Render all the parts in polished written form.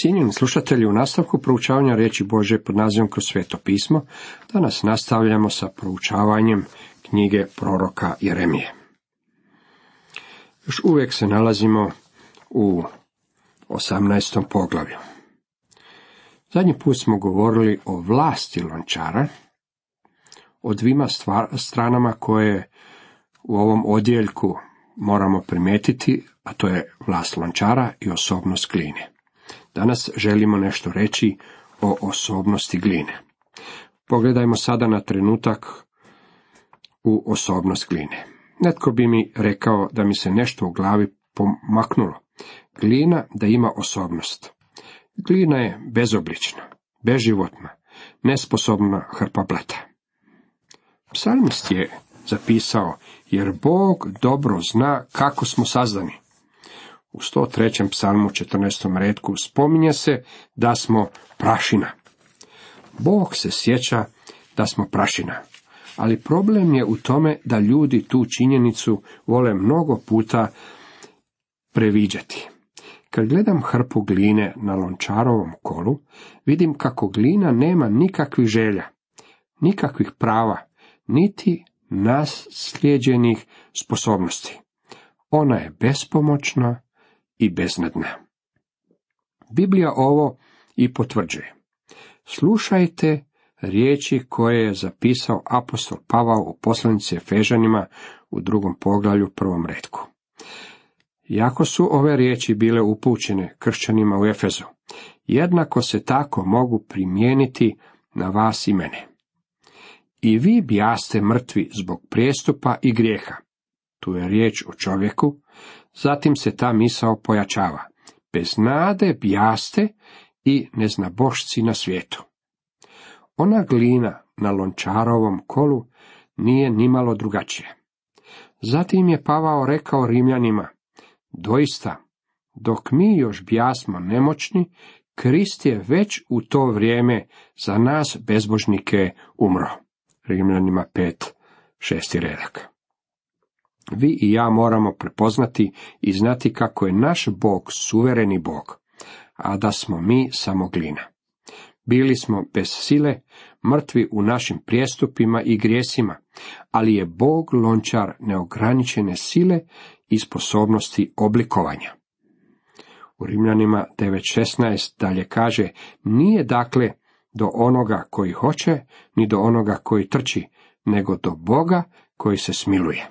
Cijenjeni slušatelji, u nastavku proučavanja riječi Božje pod nazivom Kroz sveto pismo, danas nastavljamo sa proučavanjem knjige proroka Jeremije. Još uvijek se nalazimo u 18. poglavlju. Zadnji put smo govorili o vlasti lončara, o dvima stranama koje u ovom odjeljku moramo primijetiti, a to je vlast lončara i osobnost gline. Danas želimo nešto reći o osobnosti gline. Pogledajmo sada na trenutak u osobnost gline. Netko bi mi rekao da mi se nešto u glavi pomaknulo. Glina da ima osobnost. Glina je bezoblična, beživotna, nesposobna hrpa blata. Psalmist je zapisao, jer Bog dobro zna kako smo sazdani. U 103. psalmu 14. retku spominje se da smo prašina. Bog se sjeća da smo prašina, ali problem je u tome da ljudi tu činjenicu vole mnogo puta previđati. Kad gledam hrpu gline na lončarovom kolu, vidim kako glina nema nikakvih želja, nikakvih prava, niti naslijeđenih sposobnosti. Ona je bespomoćna i beznadna. Biblija ovo i potvrđuje. Slušajte riječi koje je zapisao apostol Pavao u poslanici Efežanima u 2. poglavlju 1. retku. Iako su ove riječi bile upućene kršćanima u Efezu, jednako se tako mogu primijeniti na vas i mene. I vi bijaste mrtvi zbog prijestupa i grijeha. Tu je riječ o čovjeku, zatim se ta misao pojačava. Bez nade bijaste i neznabošci na svijetu. Ona glina na lončarovom kolu nije nimalo drugačija. Zatim je Pavao rekao Rimljanima, doista, dok mi još bijasmo nemoćni, Krist je već u to vrijeme za nas bezbožnike umro. Rimljanima 5:6 redak. Vi i ja moramo prepoznati i znati kako je naš Bog suvereni Bog, a da smo mi samo glina. Bili smo bez sile, mrtvi u našim prijestupima i grijesima, ali je Bog lončar neograničene sile i sposobnosti oblikovanja. U Rimljanima 9:16 dalje kaže, nije dakle do onoga koji hoće, ni do onoga koji trči, nego do Boga koji se smiluje.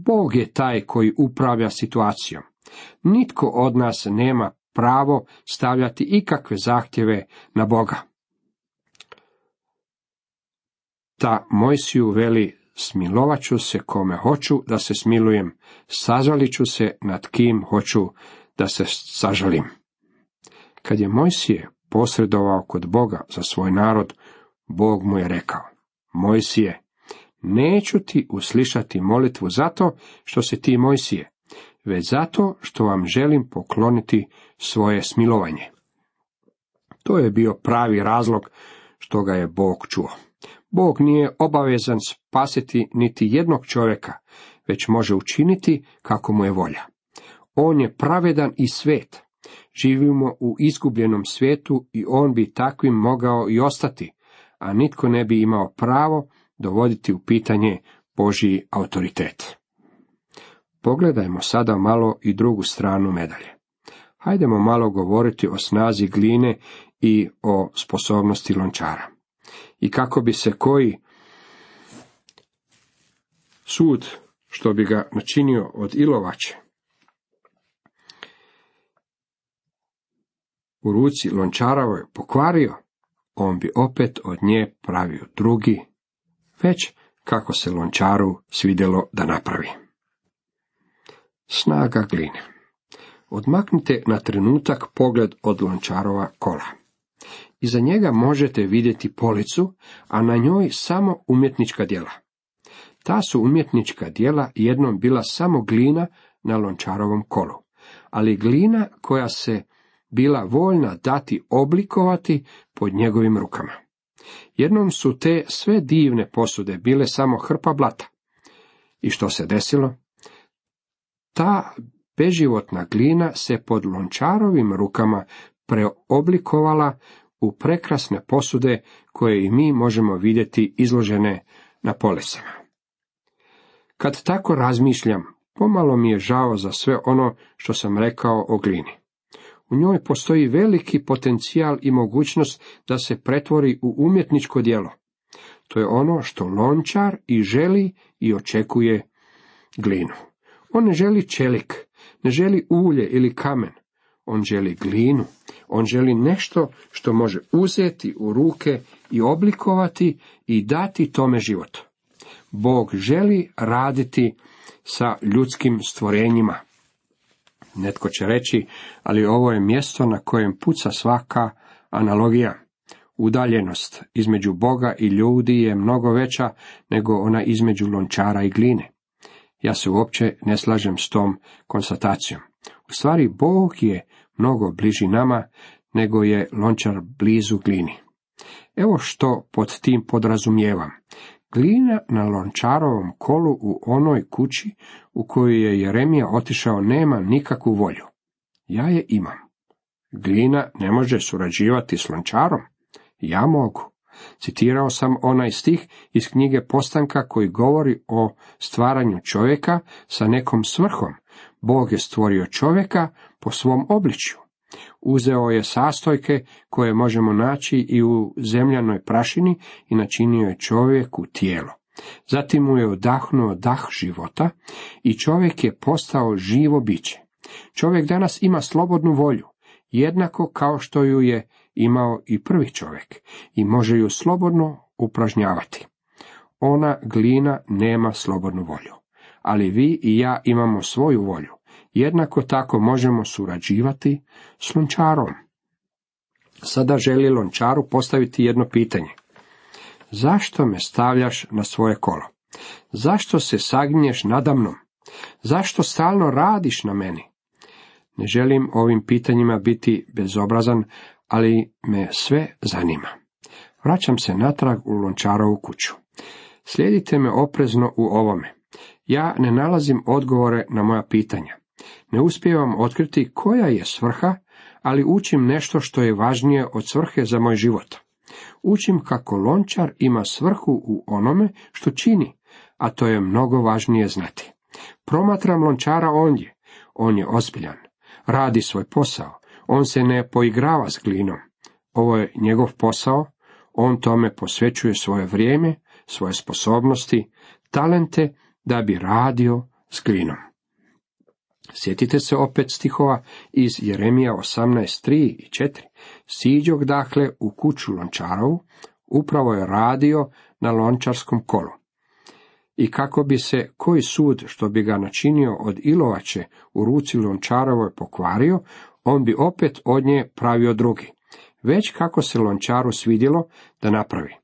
Bog je taj koji upravlja situacijom. Nitko od nas nema pravo stavljati ikakve zahtjeve na Boga. Ta Mojsiju veli, smilovat ću se kome hoću da se smilujem, sažalit ću se nad kim hoću da se sažalim. Kad je Mojsije posredovao kod Boga za svoj narod, Bog mu je rekao, Mojsije, neću ti uslišati molitvu zato što si ti Mojsije, već zato što vam želim pokloniti svoje smilovanje. To je bio pravi razlog što ga je Bog čuo. Bog nije obavezan spasiti niti jednog čovjeka, već može učiniti kako mu je volja. On je pravedan i svet. Živimo u izgubljenom svijetu i on bi takvim mogao i ostati, a nitko ne bi imao pravo dovoditi u pitanje Božji autoritet. Pogledajmo sada malo i drugu stranu medalje. Hajdemo malo govoriti o snazi gline i o sposobnosti lončara. I kako bi se koji sud, što bi ga načinio od ilovače, u ruci lončarovoj pokvario, on bi opet od nje pravio drugi, već kako se lončaru svidjelo da napravi. Snaga gline. Odmaknite na trenutak pogled od lončarova kola. Iza njega možete vidjeti policu, a na njoj samo umjetnička djela. Ta su umjetnička djela jednom bila samo glina na lončarovom kolu, ali glina koja se bila voljna dati oblikovati pod njegovim rukama. Jednom su te sve divne posude bile samo hrpa blata. I što se desilo? Ta beživotna glina se pod lončarovim rukama preoblikovala u prekrasne posude koje i mi možemo vidjeti izložene na policama. Kad tako razmišljam, pomalo mi je žao za sve ono što sam rekao o glini. U njoj postoji veliki potencijal i mogućnost da se pretvori u umjetničko djelo. To je ono što lončar i želi i očekuje glinu. On ne želi čelik, ne želi ulje ili kamen. On želi glinu. On želi nešto što može uzeti u ruke i oblikovati i dati tome život. Bog želi raditi sa ljudskim stvorenjima. Netko će reći, ali ovo je mjesto na kojem puca svaka analogija. Udaljenost između Boga i ljudi je mnogo veća nego ona između lončara i gline. Ja se uopće ne slažem s tom konstatacijom. U stvari, Bog je mnogo bliži nama nego je lončar blizu glini. Evo što pod tim podrazumijevam. Glina na lončarovom kolu u onoj kući u koju je Jeremija otišao nema nikakvu volju. Ja je imam. Glina ne može surađivati s lončarom. Ja mogu. Citirao sam onaj stih iz knjige Postanka koji govori o stvaranju čovjeka sa nekom svrhom. Bog je stvorio čovjeka po svom obličju. Uzeo je sastojke koje možemo naći i u zemljanoj prašini i načinio je čovjeku tijelo. Zatim mu je odahnuo dah života i čovjek je postao živo biće. Čovjek danas ima slobodnu volju, jednako kao što ju je imao i prvi čovjek, i može ju slobodno upražnjavati. Ona glina nema slobodnu volju, ali vi i ja imamo svoju volju. Jednako tako možemo surađivati s lončarom. Sada želi lončaru postaviti jedno pitanje. Zašto me stavljaš na svoje kolo? Zašto se saginješ nadamnom? Zašto stalno radiš na meni? Ne želim ovim pitanjima biti bezobrazan, ali me sve zanima. Vraćam se natrag u lončarovu kuću. Slijedite me oprezno u ovome. Ja ne nalazim odgovore na moja pitanja. Ne uspijevam otkriti koja je svrha, ali učim nešto što je važnije od svrhe za moj život. Učim kako lončar ima svrhu u onome što čini, a to je mnogo važnije znati. Promatram lončara ondje. On je ozbiljan. Radi svoj posao. On se ne poigrava s glinom. Ovo je njegov posao. On tome posvećuje svoje vrijeme, svoje sposobnosti, talente da bi radio s glinom. Sjetite se opet stihova iz Jeremija 18:3 i 4. Siđoh dakle u kuću lončarovu, upravo je radio na lončarskom kolu. I kako bi se koji sud što bi ga načinio od ilovače u ruci lončarovoj pokvario, on bi opet od nje pravio drugi. Već kako se lončaru svidjelo da napravi.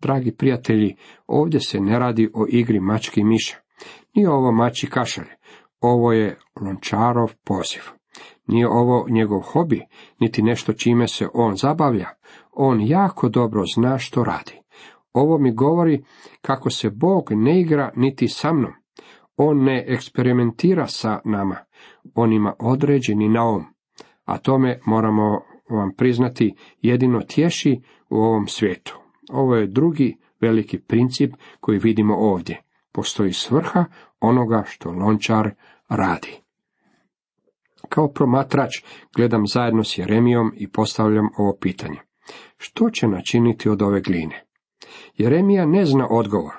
Dragi prijatelji, ovdje se ne radi o igri mački i miša. Nije ovo mačji kašalj. Ovo je lončarov poziv. Nije ovo njegov hobi, niti nešto čime se on zabavlja. On jako dobro zna što radi. Ovo mi govori kako se Bog ne igra niti sa mnom. On ne eksperimentira sa nama. On ima određeni naum. A tome moramo vam priznati jedino tješi u ovom svijetu. Ovo je drugi veliki princip koji vidimo ovdje. Postoji svrha onoga što lončar radi. Kao promatrač gledam zajedno s Jeremijom i postavljam ovo pitanje. Što će načiniti od ove gline? Jeremija ne zna odgovor.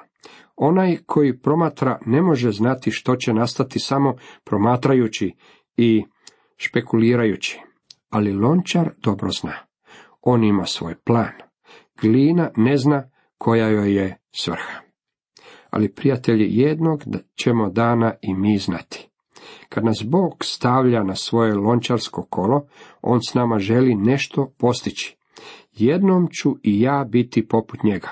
Onaj koji promatra ne može znati što će nastati samo promatrajući i špekulirajući. Ali lončar dobro zna. On ima svoj plan. Glina ne zna koja joj je svrha. Ali prijatelji, jednog ćemo dana i mi znati. Kad nas Bog stavlja na svoje lončarsko kolo, on s nama želi nešto postići. Jednom ću i ja biti poput njega.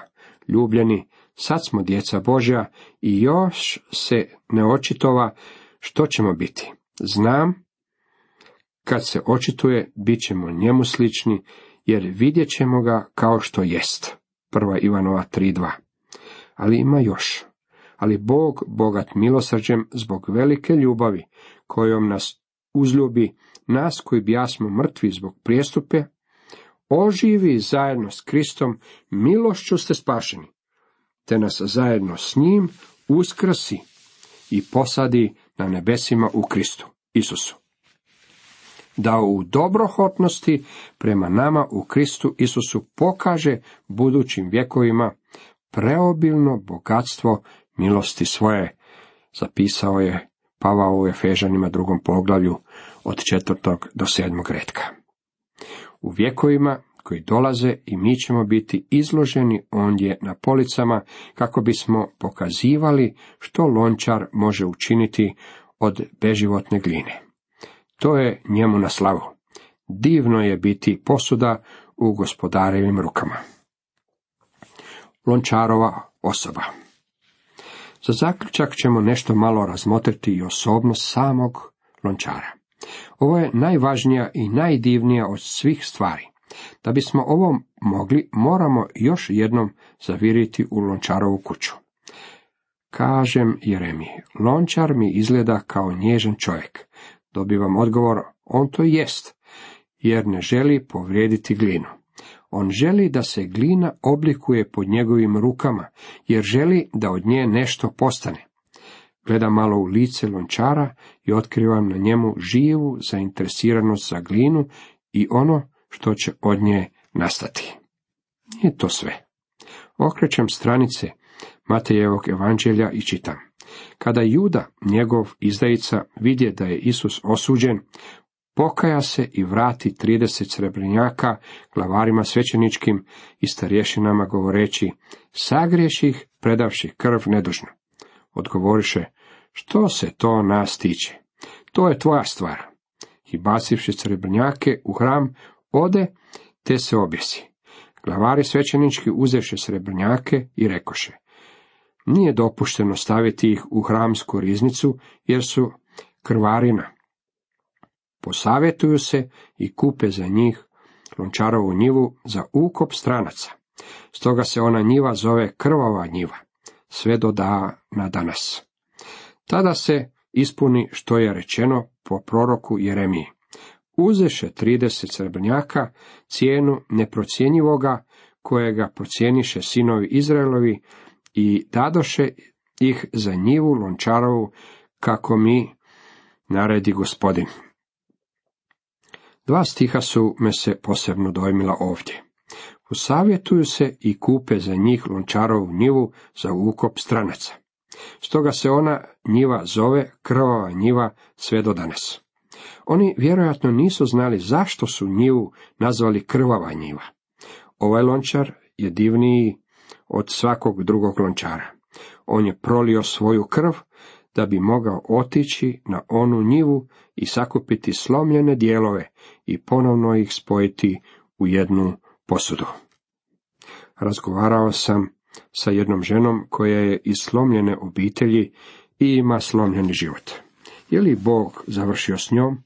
Ljubljeni, sad smo djeca Božja i još se ne očitova što ćemo biti. Znam, kad se očituje, bit ćemo njemu slični, jer vidjet ćemo ga kao što jest. 1. Ivanova 3:2. Ali ima još. Ali Bog, bogat milosrđem, zbog velike ljubavi kojom nas uzljubi, nas koji bijasmo mrtvi zbog prijestupe, oživi zajedno s Kristom, milošću ste spašeni, te nas zajedno s njim uskrsi i posadi na nebesima u Kristu Isusu, da u dobrohotnosti prema nama u Kristu Isusu pokaže budućim vjekovima preobilno bogatstvo milosti svoje, zapisao je Pavao u Efežanima 2. poglavlju od 4. do 7. retka. U vjekovima koji dolaze i mi ćemo biti izloženi ondje na policama kako bismo pokazivali što lončar može učiniti od beživotne gline. To je njemu na slavu. Divno je biti posuda u gospodarevim rukama. Lončarova osoba. Za zaključak ćemo nešto malo razmotriti i osobnost samog lončara. Ovo je najvažnija i najdivnija od svih stvari. Da bismo ovo mogli, moramo još jednom zaviriti u lončarovu kuću. Kažem Jeremiji, lončar mi izgleda kao nježan čovjek. Dobivam odgovor, on to jest, jer ne želi povrijediti glinu. On želi da se glina oblikuje pod njegovim rukama, jer želi da od nje nešto postane. Gledam malo u lice lončara i otkrivam na njemu živu zainteresiranost za glinu i ono što će od nje nastati. Nije to sve. Okrećem stranice Matejevog evanđelja i čitam. Kada Juda, njegov izdajica, vidje da je Isus osuđen, pokaja se i vrati 30 srebrnjaka glavarima svećeničkim i starješinama govoreći, sagriješih predavši krv nedužno. Odgovoriše, što se to nas tiče? To je tvoja stvar. I bacivši srebrnjake u hram, ode, te se objesi. Glavari svećenički uzeše srebrnjake i rekoše, nije dopušteno staviti ih u hramsku riznicu, jer su krvarina. Posavjetuju se i kupe za njih lončarovu njivu za ukop stranaca. Stoga se ona njiva zove krvava njiva, sve do dana danas. Tada se ispuni što je rečeno po proroku Jeremiji. Uzeše 30 srebrnjaka, cijenu neprocjenjivoga, kojega procijeniše sinovi Izraelovi, i dadoše ih za njivu lončarovu, kako mi naredi Gospodin. 2 stiha su me se posebno dojmila ovdje. Posavjetuju se i kupe za njih lončarovu njivu za ukop stranaca. Stoga se ona njiva zove krvava njiva sve do danas. Oni vjerojatno nisu znali zašto su njivu nazvali krvava njiva. Ovaj lončar je divniji od svakog drugog lončara. On je prolio svoju krv da bi mogao otići na onu njivu i sakupiti slomljene dijelove i ponovno ih spojiti u jednu posudu. Razgovarao sam sa jednom ženom koja je iz slomljene obitelji i ima slomljeni život. Je li Bog završio s njom?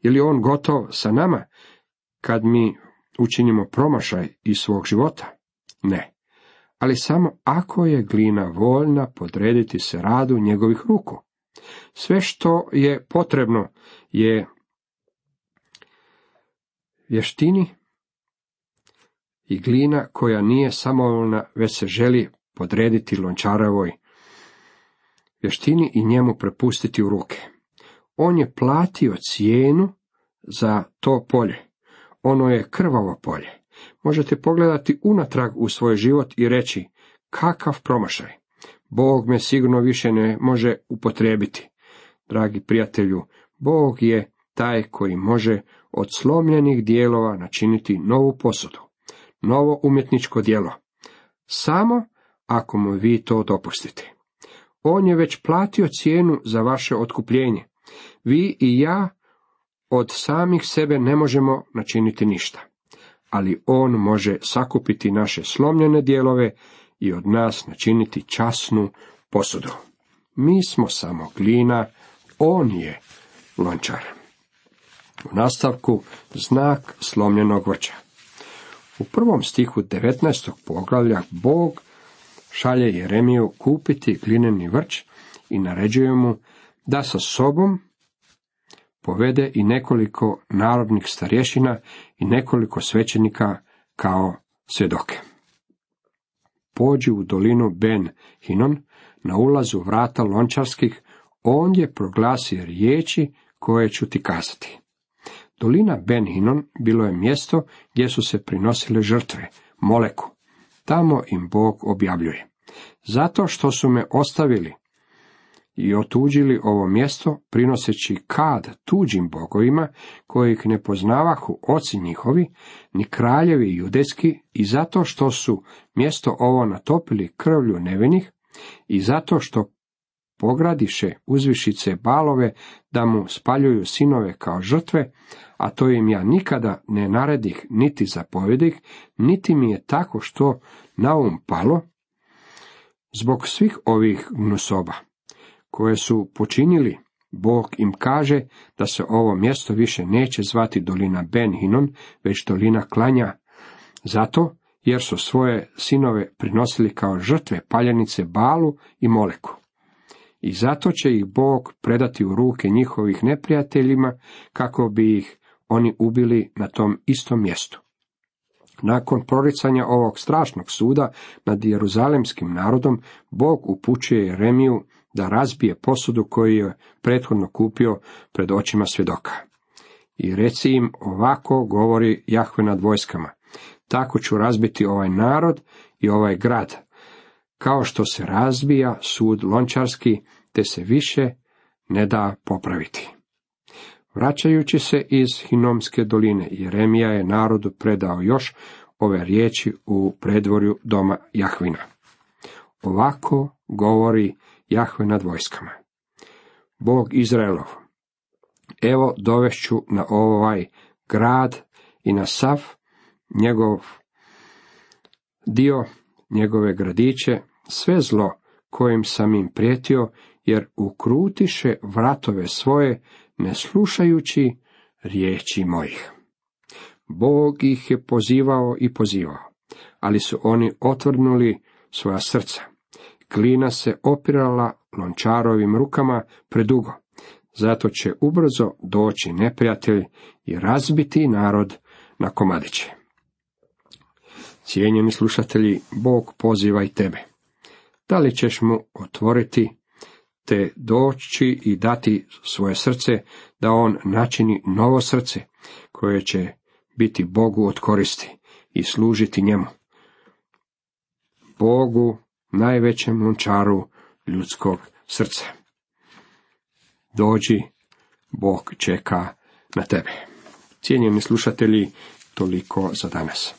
Je li on gotov sa nama kad mi učinimo promašaj iz svog života? Ne. Ali samo ako je glina voljna podrediti se radu njegovih ruku. Sve što je potrebno je vještini i glina koja nije samovoljna, već se želi podrediti lončarovoj vještini i njemu prepustiti u ruke. On je platio cijenu za to polje. Ono je krvavo polje. Možete pogledati unatrag u svoj život i reći, kakav promašaj. Bog me sigurno više ne može upotrijebiti. Dragi prijatelju, Bog je taj koji može od slomljenih dijelova načiniti novu posudu, novo umjetničko djelo. Samo ako mu vi to dopustite. On je već platio cijenu za vaše otkupljenje. Vi i ja od samih sebe ne možemo načiniti ništa. Ali on može sakupiti naše slomljene dijelove i od nas načiniti časnu posudu. Mi smo samo glina, on je lončar. U nastavku znak slomljenog vrča. U 1. stihu 19. poglavlja Bog šalje Jeremiju kupiti glineni vrč i naređuje mu da sa sobom povede i nekoliko narodnih starješina i nekoliko svećenika kao svjedoke. Pođi u dolinu Ben Hinon, na ulazu vrata lončarskih, ondje proglasi riječi koje ću ti kazati. Dolina Ben Hinon bilo je mjesto gdje su se prinosile žrtve, Moleku. Tamo im Bog objavljuje: zato što su me ostavili i otuđili ovo mjesto, prinoseći kad tuđim bogovima, kojih ne poznavahu oci njihovi, ni kraljevi judejski, i zato što su mjesto ovo natopili krvlju nevinih, i zato što pogradiše uzvišice Balove da mu spaljuju sinove kao žrtve, a to im ja nikada ne naredih niti zapovedih, niti mi je tako što na palo, zbog svih ovih gnusoba koje su počinili, Bog im kaže da se ovo mjesto više neće zvati dolina Ben Hinon, već dolina klanja, zato jer su svoje sinove prinosili kao žrtve paljenice Balu i Moleku. I zato će ih Bog predati u ruke njihovih neprijateljima, kako bi ih oni ubili na tom istom mjestu. Nakon proricanja ovog strašnog suda nad jeruzalemskim narodom, Bog upućuje Jeremiju da razbije posudu koju je prethodno kupio pred očima svjedoka. I reci im, ovako govori Jahve nad vojskama: tako ću razbiti ovaj narod i ovaj grad, kao što se razbija sud lončarski, te se više ne da popraviti. Vraćajući se iz Hinomske doline, Jeremija je narodu predao još ove riječi u predvorju doma Jahvina. Ovako govori Jahve nad vojskama, Bog Izraelov: evo dovešću na ovaj grad i na sav njegov dio, njegove gradiće, sve zlo kojim sam im prijetio, jer ukrutiše vratove svoje, ne slušajući riječi mojih. Bog ih je pozivao i pozivao, ali su oni otvrdnuli svoja srca. Glina se opirala lončarovim rukama predugo, zato će ubrzo doći neprijatelj i razbiti narod na komadiće. Cijenjeni slušatelji, Bog poziva i tebe. Da li ćeš mu otvoriti, te doći i dati svoje srce, da on načini novo srce, koje će biti Bogu od koristi i služiti njemu, Bogu, najvećem lončaru ljudskog srca? Dođi, Bog čeka na tebe. Cijenjeni slušatelji, toliko za danas.